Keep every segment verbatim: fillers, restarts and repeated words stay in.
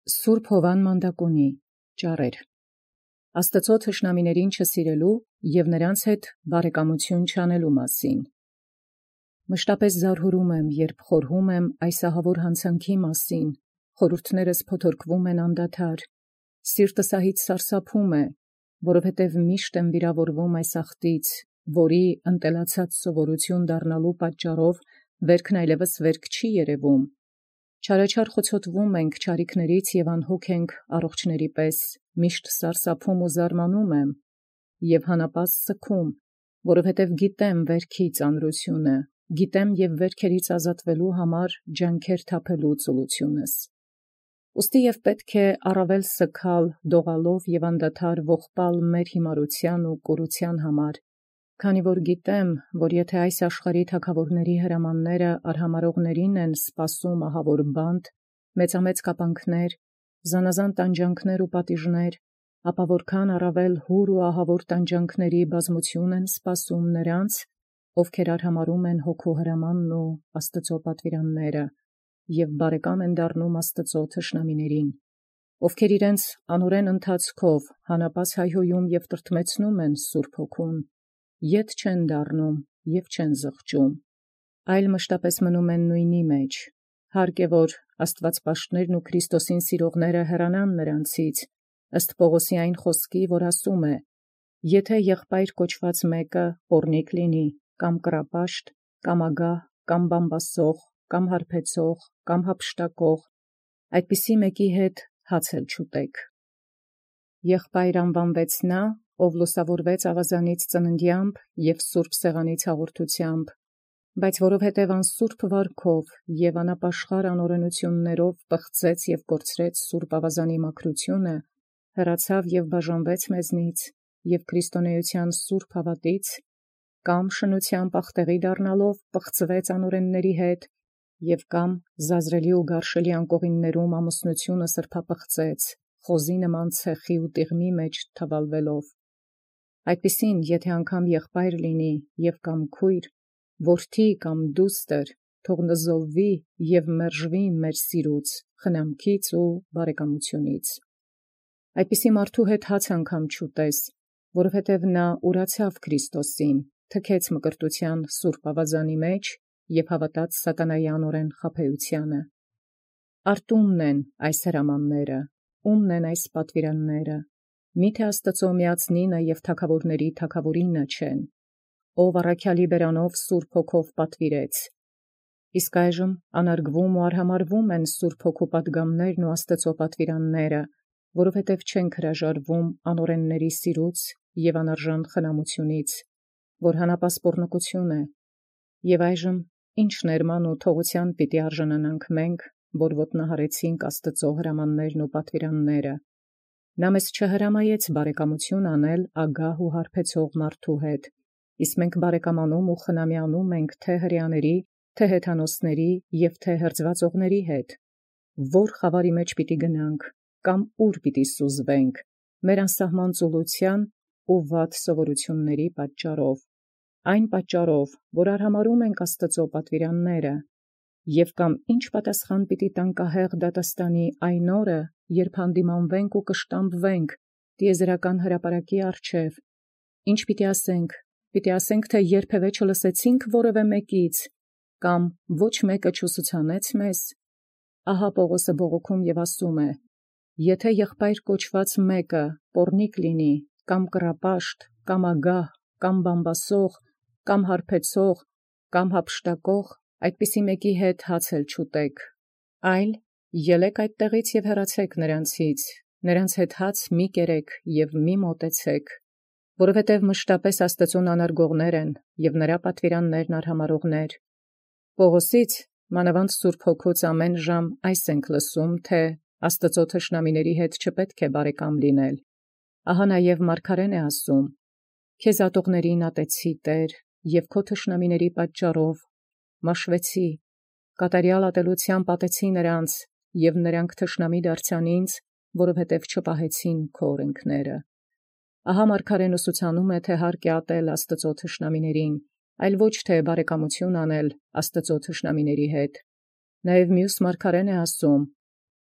Սուրբ Հովան Մանդակունի ճառեր Աստծո թշնամիներին չսիրելու և նրանց հետ բարեկամություն չանելու մասին։ Մշտապես զարհուրում եմ, երբ խորհում եմ այս ահավոր հանցանքի մասին, խորհուրդներս փոթորկվում են անդադար, սիրտս ահից սարսափում է, որովհետև միշտ եմ վիրավորվում այս ախտից, որի ընտելացած սովորություն դառնալու պատճառով վերքն այլևս վերք չի երևում։ Չարաչար խոցոտվում ենք չարիքներից և անհոգ ենք առողջների պես, միշտ սարսափում ու զարմանում եմ, և հանապազդ սգում, որովհետև գիտեմ վերքի ծանրությունը, գիտեմ և վերքերից ազատվելու համար ջանքեր թափելու ծուլությունս։ Ուստի և պետք է առավել սգալ դողալով և անդադար ողբալ մեր հիմարության ու կորության համար, քանի որ գիտեմ, որ եթե այս աշխարհի թագավորների հրամանները արհամարհողներին են սպասում ահավոր բանտ, մեծամեծ կապանքներ, զանազան տանջանքներ ու պատիժներ, ապա որքան առավել հուր ու ահավոր տանջանքների բազմություն են սպասում նրանց, ովքեր արհամարհում են հոգու հրամանն ու Աստծո պատվիրանները, և բարեկամ են դառնում Աստծո թշնամիներին, ովքեր իրենց անօրեն ընթացքով հանապազդ հայհոյում և տրտմեցնում են Սուրբ Հոգուն, ետ չեն դառնում և չեն զղջում, այլ մշտապես մնում են նույնի մեջ, հարկ է, որ աստվածպաշտներն ու Քրիստոսին սիրողները հեռանան նրանցից, ըստ Պողոսի այն խոսքի, որ ասում է. «Եթե եղբայր կոչված մեկը պոռնիկ լինի, կամ կռապաշտ, կամ ագահ, կամ բամբասող, կամ հարբեցող, կամ յափշտակող, այդպիսի մեկի հետ հաց էլ չուտեք»։ Եղբայր անվանվեց նա, ով լուսավորվեց ավազանից ծննդեամբ և սուրբ սեղանից հաղորդությամբ, բայց որովհետև անսուրբ վարքով և անապաշխար անօրենություններով պղծեց և կորցրեց սուրբ ավազանի մաքրությունը, հեռացավ և բաժանվեց մեզնից, և քրիստոնեության սուրբ հավատից, կամ շնությամբ ախտեղի դառնալով պղծվեց անօրենների հետ, և կամ զազրելի ու գարշելի անկողիններում ամուսնությունը սրբապղծեց, խոզի նման ցեխի ու տիղմի մեջ թավալվելով։ Այդպիսին, եթե անգամ եղբայր լինի և կամ քույր, որդի կամ դուստր, թող նզովվի և մերժվի մեր սիրուց, խնամքից ու բարեկամությունից։ Այդպիսի մարդու հետ հաց անգամ չուտես, որովհետև նա ուրացավ Քրիստոսին, թքեց մկրտության սուրբ ավազանի մեջ և հավատաց սատանայի անօրեն խաբեությանը։ Արդ ո՞ւմն են այս հրամանները, ո՞ւմն են այս պատվիրանները, միթե Աստծո միածնինը և թագավորների թագավորինը չեն, ով առաքյալի բերանով Սուրբ Հոգով պատվիրեց։ Իսկ այժմ անարգվում ու արհամարհվում են Սուրբ Հոգու պատգամներն ու Աստծո պատվիրանները, որովհետև չենք հրաժարվում անօրենների սիրուց և անարժան խնամությունից, որ հանապազդ պոռնկություն է, և այժմ ի՞նչ ներման ու թողության պիտի արժանանանք մենք, որ ոտնահարեցինք Աստծո հրամաններն ու պատվիրանները։ Նա մեզ չհրամայեց բարեկամություն անել ագահ ու հարբեցող մարդու հետ, իսկ մենք բարեկամանում ու խնամյանում ենք թե հրեաների, թե հեթանոսների և թե հրձվածողների հետ։ Ո՞ր խավարի մեջ պիտի գնանք, կամ ուր պիտի սուզվենք մեր անսահման ծուլության ու վատ սովորությունների պատճառով, այն պատճառով, որ արհամարհում ենք Աստծո պատվիրանները, և կամ ի՞նչ պատասխան պիտի տանք ահեղ դատաստանի այն օրը, երբ հանդիմանվենք ու կշտամբվենք տիեզերական հրապարակի առջև, ի՞նչ պիտի ասենք, պիտի ասենք, թե երբևէ չլսեցինք որևէ մեկից, կամ ոչ մեկը չուսուցանեց մեզ։ Ահա Պողոսը բողոքում և ասում է. «Եթե եղբայր կոչված մեկը պոռնիկ լինի, կամ կռապաշտ, կամ ագահ, կամ բամբասող, կամ հարբեցող, կամ յափշտակող, այդպիսի մեկի հետ հաց էլ չուտեք, այլ ելեք այդտեղից և հեռացեք նրանցից, նրանց հետ հաց մի կերեք և մի մոտեցեք, որովհետև մշտապես Աստծուն անարգողներ են և նրա պատվիրաններն արհամարհողներ»։ Պողոսից, մանավանդ Սուրբ Հոգուց ամեն ժամ այս ենք լսում, թե Աստծո թշնամիների հետ չպետք է բարեկամ լինել։ Ահա նաև մարգարեն է ասում. «Քեզ ատողներին ատեցի, Տեր, և քո թշնամիների պատճառով մաշվեցի, կատարյալ ատելությամբ ատեցի նրանց, և նրանք թշնամի դարձան ինձ, որովհետև չպահեցին քո օրենքները»։ Ահա մարգարեն ուսուցանում է, թե հարկ է ատել Աստծո թշնամիներին, այլ ոչ թե բարեկամություն անել Աստծո թշնամիների հետ։ Նաև մյուս մարգարեն է ասում.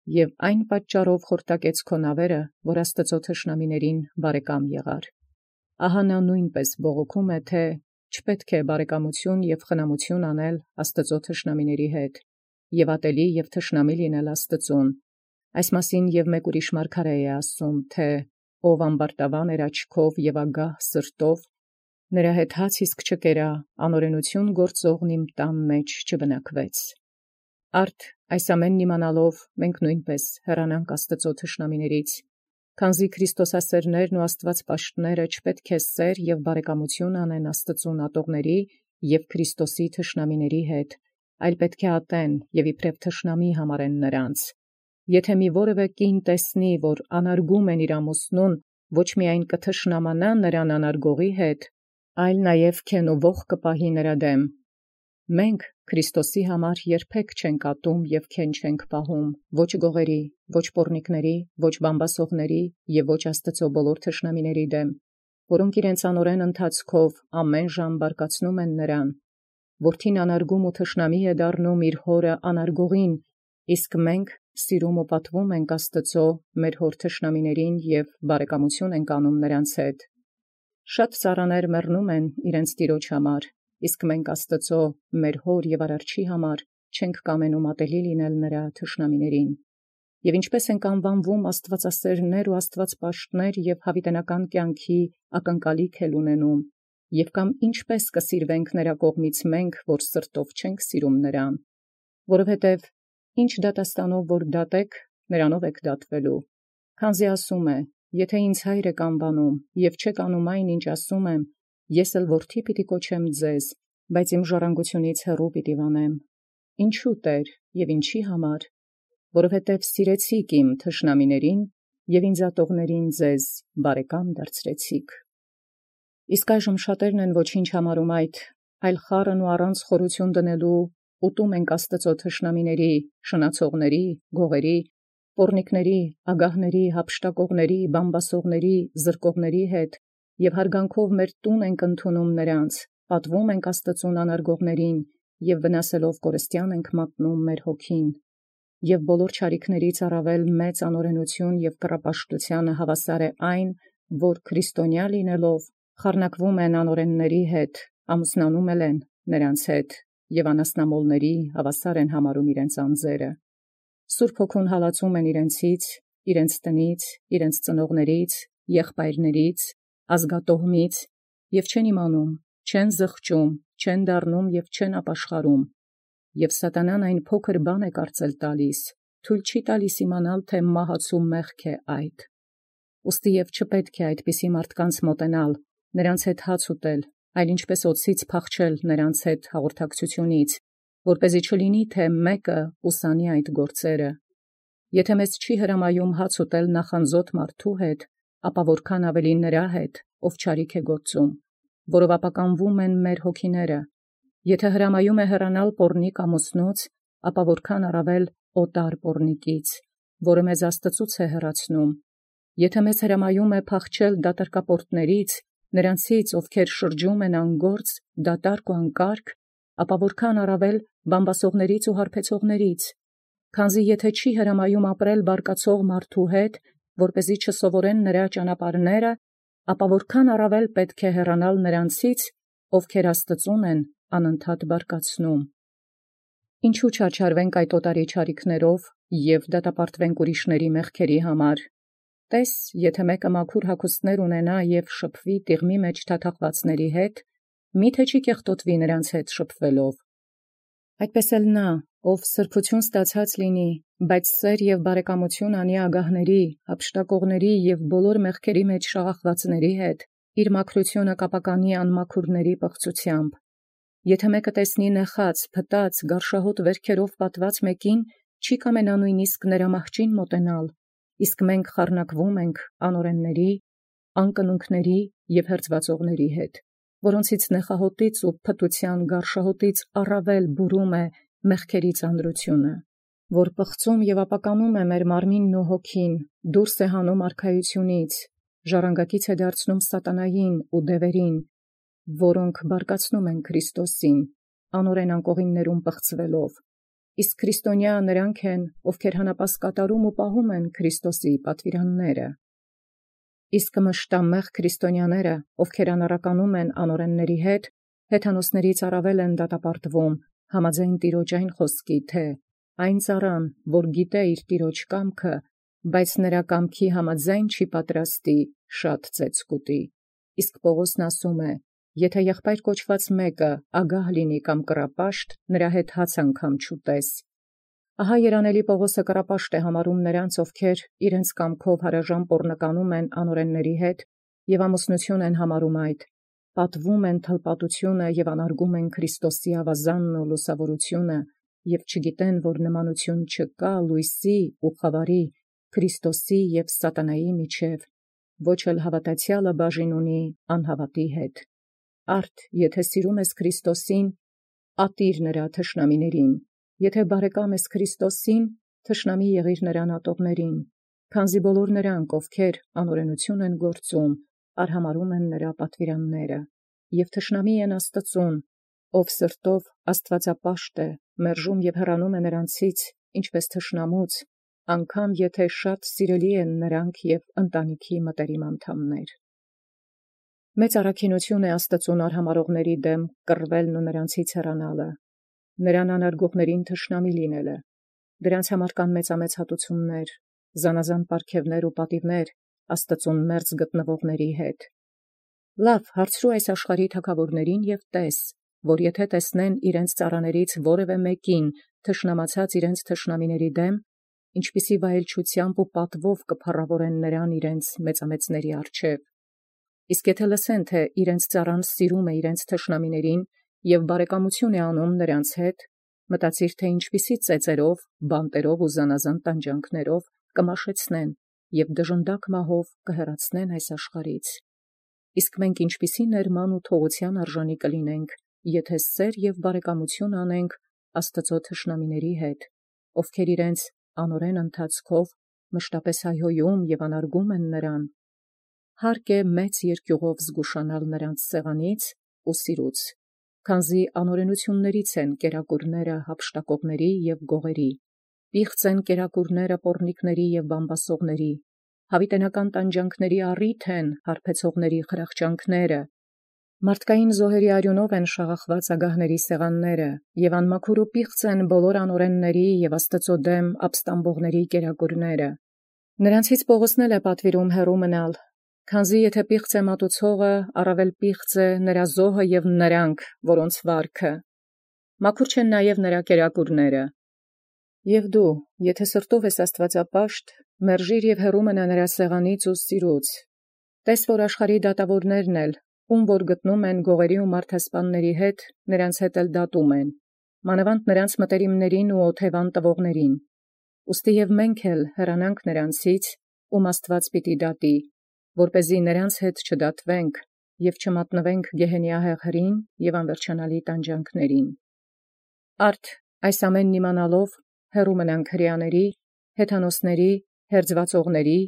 և այն պատճառով խորտակեց քո նավերը, որ Աստուծոյ թշնամիցն բարեկամ եղար։ Ահա նա նույնպես բողոքում է, թէ չպետք է բարեկամություն և խնամություն անել Աստուծոյ թշնամիների հետ, և ատելի և թշնամի լինել Աստուծուն։ Այս մասին և մեկ ուրիշ մարգարէ է ասում, թէ ով ամբարտավան էր աչքով և ագահ սրտով, նրա հետ հաց իսկ չկերա, անօրենություն գործողն իմ տան մեջ չբնակվեց։ Արդ այս ամենն իմանալով մենք նույնպես հեռանանք Աստուծոյ թշնամիներից, քանզի քրիստոսասերներն ու աստվածպաշտները չպետք է սեր և բարեկամություն անեն Աստուծուն ատողների և Քրիստոսի թշնամիների հետ, այլ պետք է ատեն և իբրև թշնամի համարեն նրանց։ Եթե մի որևէ կին տեսնի, որ անարգում են իր ամուսնուն, ոչ միայն կթշնամանա նրան անարգողի հետ, այլ նաև քեն ու ոխ կպահի նրա դեմ։ Մենք Քրիստոսի համար երբեք չենք ատում և քեն չենք պահում, ոչ գողերի, ոչ պոռնիկների, ոչ բամբասողների և ոչ Աստուծոյ բոլոր թշնամիների դեմ, որոնք իրենց անօրեն ընթացքով ամեն ժամ բարկացնում են նրան։ Որդին անարգում ու թշնամի է դառնում իր հորը անարգողին, իսկ մենք սիրում ու պատվում ենք Աստուծոյ մեր հոր թշնամիներին և բարեկամություն ենք անում նրանց հետ։ Շատ ծառաներ մեռնում են իրենց տիրոջ համար, իսկ մենք Աստուծոյ մեր հոր և արարչի համար չենք կամենում ատելի լինել նրա թշնամիներին։ Եվ ինչպես ենք անվանվում աստվածասերներ ու աստվածպաշտներ և յաւիտենական կյանքի ակնկալիք էլ ունենում, և կամ ինչպես կսիրվենք նրա կողմից մենք, որ սրտով չենք սիրում նրան, որովհետև ինչ դատաստանով որ դատեք, նրանով եք դատվելու, քանզի ասում է. «Եթե ինձ հայր եք անվանում, և չեք անում այն, ինչ ասում եմ, ես էլ որդի պիտի կոչեմ ձեզ, բայց իմ ժառանգությունից հեռու պիտի վանեմ։ Ինչու Տէր և ինչի համար, որովհետև սիրեցիք իմ թշնամիներին և ինձ ատողներին ձեզ բարեկամ դարձրեցիք»։ Իսկ այժմ շատերն են ոչինչ համարում այդ, այլ խառն ու առանց խորություն դնելու ուտում ենք Աստուծոյ թշնամիների, շնացողների, գողերի, պոռնիկների, ագահների, յափշտակողների, բամբասողների, զրկողների հետ, և հարգանքով մեր տուն ենք ընդունում նրանց, պատվում ենք Աստուծուն անարգողներին, և վնասելով կորստյան ենք մատնում մեր հոգին, և բոլոր չարիքներից առավել մեծ անօրենություն և կռապաշտութեանը հավասար է այն, որ քրիստոնյա լինելով խառնակվում են անօրենների հետ, ամուսնանում են նրանց հետ, և անասնամոլների հավասար են համարում իրենց անձերը։ Սուրբ Հոգուն հալածում են իրենցից, իրենց տնից, իրենց ծնողներից, եղբայրներից, ազգատոհմից, և չեն իմանում, չեն զղջում, չեն դառնում և չեն ապաշխարում։ Եվ սատանան այն փոքր բան է կարծել տալիս, թույլ չի տալիս իմանալ, թե մահացու մեղք է այդ։ Ուստի և չպետք է այդպիսի մարդկանց մոտենալ, նրանց հետ հաց ուտել, այլ ինչպես օձից փախչել նրանց հետ հաղորդակցությունից, որպեսզի չլինի, թե մեկը ուսանի այդ գործերը։ Եթե մեզ չի հրամայում հաց ուտել նախանձոտ մարդու հետ, ապա որքան ավելի նրա հետ, ով չարիք է գործում, որով ապականվում են մեր հոգիները։ Եթե հրամայում է հեռանալ պոռնիկ ամուսնուց, ապա որքան առավել օտար պոռնիկից, որը մեզ Աստծուց է հեռացնում։ Եթե մեզ հրամայում է փախչել դատարկապորտներից, նրանցից, ովքեր շրջում են անգործ, դատարկ ու անկարգ, ապա որքան առավել բամբասողներից ու հարբեցողներից։ Քանզի եթե չի հրամայում ապրել բարկացող մարդու հետ, որպեսզի չսովորեն նրա ճանապարհները, ապա որքան առավել պետք է հեռանալ նրանցից, ովքեր Աստծուն են անընդհատ բարկացնում։ Ինչու չարչարվենք այդ օտարի չարիքներով և դատապարտվենք ուրիշների մեղքերի համար։ Տես, եթե մեկը մաքուր հագուստներ ունենա և շփվի տիղմի մեջ թաթախվածների հետ, մի՞թե չի կեղտոտվի նրանց հետ շփվելով։ Այդպես էլ նա, ով սրբություն ստացած լինի, բայց սեր և բարեկամություն անի ագահների, յափշտակողների և բոլոր մեղքերի մեջ շաղախվածների հետ, իր մաքրությունը կապականի անմաքուրների պղծությամբ։ Եթե մեկը տեսնի նեխած, փտած, գարշահոտ վերքերով պատված մեկին, չի կամենա նույնիսկ նրա մահճին մոտենալ, իսկ մենք խառնակվում ենք անօրենների, անկնունքների և հրձվածողների հետ, որոնցից նեխահոտից ու փտության գարշահոտից առավել բուրում է մեղքերի ծանրությունը, որ պղծում և ապականում է մեր մարմինն ու հոգին, դուրս է հանում արքայությունից, ժառանգակից է դարձնում սատանային ու դևերին, որոնք բարկացնում են Քրիստոսին, անօրեն անկողիններում պղծվելով, իսկ քրիստոնյա նրանք են, ովքեր հանապաս կատարում ու պահում են Քրիստոսի պատվիրանները։ Իսկ մշտամեղ քրիստոնյաները, ովքեր անառականում են անօրենների հետ, հեթանոսներից առավել են դատապարտվում, համաձայն Տիրոջ այն խոսքի, թե այն ծառան, որ գիտե իր Տիրոջ կամքը, բայց նրա կամքի համաձայն չի պատրաստի, շատ ծեծ կուտի։ Իսկ Պողոսն ասում է. եթե եղբայր կոչված մեկը ագահ լինի կամ կռապաշտ, նրա հետ հաց անգամ չուտես։ Ահա երանելի Պողոսը կռապաշտ է համարում նրանց, ովքեր իրենց կամքով հարաժան պոռնականում են անօրենների հետ և ամուսնություն են համարում այդ, պատվում են թլպատությունը և անարգում են Քրիստոսի ավազանն ու լուսավորությունը և չգիտեն, որ նմանություն չկա լույսի ու խավարի, Քրիստոսի և սատանայի միջև, ոչ էլ հավատացյալը բաժին ունի անհավատի հետ։ Արդ, եթե սիրում ես Քրիստոսին, ատիր նրա թշնամիներին, եթե բարեկամ ես Քրիստոսին, թշնամի եղիր նրան ատողներին, քանզի բոլոր նրանք, ովքեր անօրենություն են գործում, արհամարհում են նրա պատվիրանները, և թշնամի են Աստծուն, ով սրտով աստվածապաշտ է, մերժում և հեռանում է նրանցից, ինչպես թշնամուց, անգամ եթե շատ սիրելի են նրանք և ընտանիքի մտերիմ անդամներ։ Մեծ առաքինություն է Աստծուն արհամարհողների դեմ կռվելն ու նրանցից հեռանալը, նրան անարգողներին թշնամի լինելը, դրանց համար կան մեծամեծ հատուցումներ, զանազան պարգևներ ու պատիվներ Աստծուն մերձ գտնվողների հետ։ Լավ, հարցրու այս աշխարհի թագավորներին և տես, որ եթե տեսնեն իրենց ծառաներից որևէ մեկին թշնամացած իրենց թշնամիների դեմ, ինչպիսի վայելչությամբ ու պատվով կփառավորեն նրան իրենց մեծամեծների առջև։ Իսկ եթե լսեն, թե իրենց ծառան սիրում է իրենց թշնամիներին և բարեկամություն է անում նրանց հետ, մտածիր, թե ինչպիսի ծեծերով, բանտերով ու զանազան տանջանքներով կմաշեցնեն և դժնդակ մահով կհեռացնեն այս աշխարհից։ Իսկ մենք ինչպիսի ներման ու թողության արժանի կլինենք, եթե սեր և բարեկամություն անենք Աստծո թշնամիների հետ, ովքեր իրենց անօրեն ընթացքով մշտապես հայհոյում և անարգում են նրան։ Հարկ է մեծ երկյուղով զգուշանալ նրանց սեղանից ու սիրուց, քանզի անօրենություններից են կերակուրները հափշտակողների և գողերի, պիղծ են կերակուրները պոռնիկների և բամբասողների, հավիտենական տանջանքների առիթ են հարբեցողների խրախճանքները, մարդկային զոհերի արյունով են շաղախված ագահների սեղանները, և անմաքուր ու պիղծ են բոլոր անօրենների և Աստծո դեմ ապստամբողների կերակուրները։ Նրանցից Պողոսն էլ է պատվիրում հեռու մնալ, քանզի եթե պիղծ է մատուցողը, առավել պիղծ է նրա զոհը և նրանք, որոնց վարքը, մաքուր չեն նաև նրա կերակուրները։ Եվ դու, եթե սրտով ես աստվածապաշտ, մերժիր և հեռու մնա նրա սեղանից ու սիրուց։ Տես, որ աշխարհի դատավորներն էլ, ում որ գտնում են գողերի ու մարդասպանների հետ, նրանց հետ էլ դատում են, մանավանդ նրանց մտերիմներին ու օթևան տվողներին։ Ուստի և մենք էլ հեռանանք նրանցից, ում Աստված պիտի դատի, որպեսզի նրանց հետ չդատվենք և չմատնվենք գեհենի ահեղրին և անվերջանալի տանջանքներին։ Արդ, այս ամենն իմանալով, հեռու մնանք հրեաների, հեթանոսների, հերձվածողների,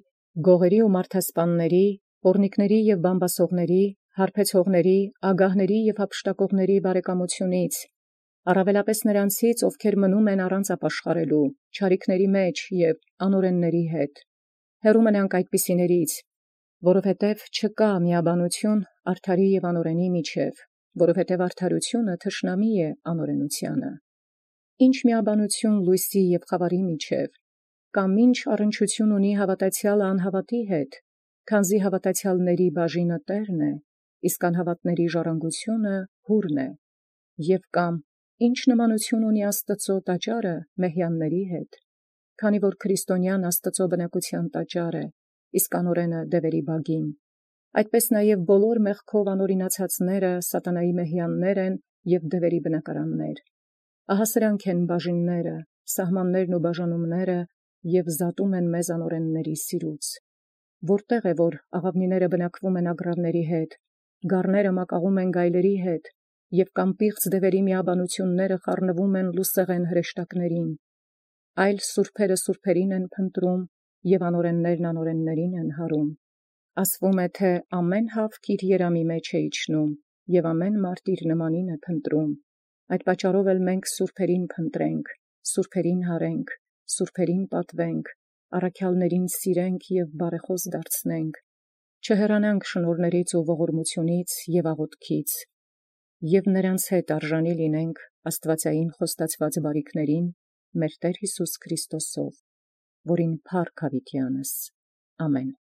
գողերի ու մարդասպանների, պոռնիկների և բամբասողների, հարբեցողների, ագահների և հափշտակողների բարեկամությունից, առավելապես նրանցից, ովքեր մնում են առանց ապաշխարելու, չարիքների մեջ և անօրենների հետ։ Հեռու մնանք այդպիսիներից, որովհետև չկա միաբանություն արդարի և անօրենի միջև, որովհետև արդարությունը թշնամի է անօրենությանը։ Ինչ միաբանություն լույսի և խավարի միջև, կամ ինչ առնչություն ունի հավատացյալը անհավատի հետ, քանզի հավատացյալների բաժինը Տերն է, իսկ անհավատների ժառանգությունը հուրն է, և կամ ինչ նմանություն ունի Աստծո տաճարը մեհյանների հետ, քանի որ քրիստոնյան Աստծո բնակության տաճար է, իսկ անօրենը դևերի բագին։ Այդպես նաև բոլոր մեղքով անօրինացածները սատանայի մեհյաններ են և դևերի բնակարաններ։ Ահա սրանք են բաժինները, սահմաններն ու բաժանումները և զատում են մեզ անօրենների սիրուց։ Որտեղ է, որ աղավնիները բնակվում են ագռավների հետ, գառները մակաղում են գայլերի հետ, և կամ պիղծ դևերի միաբանությունները խառնվում են լուսեղեն հրեշտակներին, այլ սուրբերը սուրբերին են փնտրում, և անօրեններն անօրեններին են հարում։ Ասվում է, թե ամեն հավք իր երամի մեջ է իջնում, և ամեն մարդ իր նմանին է փնտրում։ Այդ պատճառով էլ մենք սուրբերին փնտրենք, սուրբերին հարենք, սուրբերին պատվենք, առաքյալներին սիրենք և բարեխոս դարձնենք, չհեռանանք շնորհներից ու ողորմությունից և աղոթքից, և նրանց հետ արժանի լինենք աստվածային խոստացված բարիքներին մեր Տեր Հիսուս Քրիստոսով, որին փառք հավիտյանս։ Ամեն։